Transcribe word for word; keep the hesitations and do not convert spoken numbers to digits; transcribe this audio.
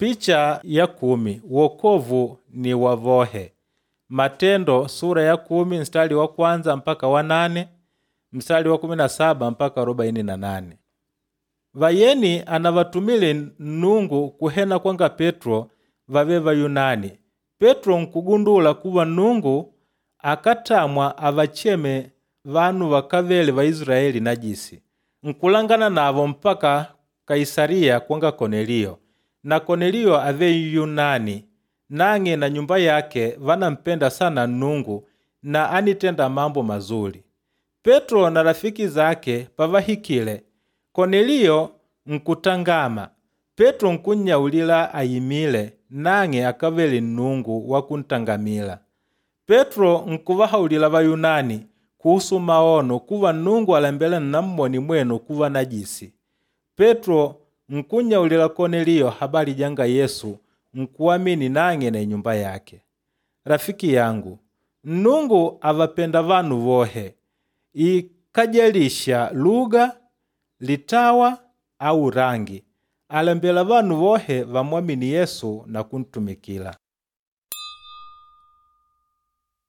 Picha ya kumi wokovu ni wavohe. Matendo sura ya kumi mstari wa kwanza mpaka wa nane mstari wa kumi na saba mpaka arobaini na nane. Vayeni anavatumile Nnungu kuhena kwanga Petro vave Vayunani. Petro nkugundula kuva Nnungu akatamwa avacheme vanu vakávele Vaisilaeli najisi. Nkulangana navo mpaka Kaisaliya kwanga Koneliyo. Na Koneliyo ave Nyunani, nang'e na nyumba yake vanampenda sana Nnungu na anitenda mambo mazuli. Petro na rafiki zake pavahikile, Koneliyo nkutangama. Petro nkunnyaulila ayimile, nang'e akavele Nnungu wa kuntangamila. Petro nkuvahaulila Vayunani kuhusu maono kuva Nnungu alembela nnammone mwenu kuva najisi. Petro nkunnyaulila Koneliyo habari janga Yesu nkuamini nang'e na inyumba yake. Rafiki yangu, Nnungu avapenda vanu vohe, ikajalisha lugha, litawa au rangi. Alembela vanu vohe vamwamini Yesu na kuntumikila.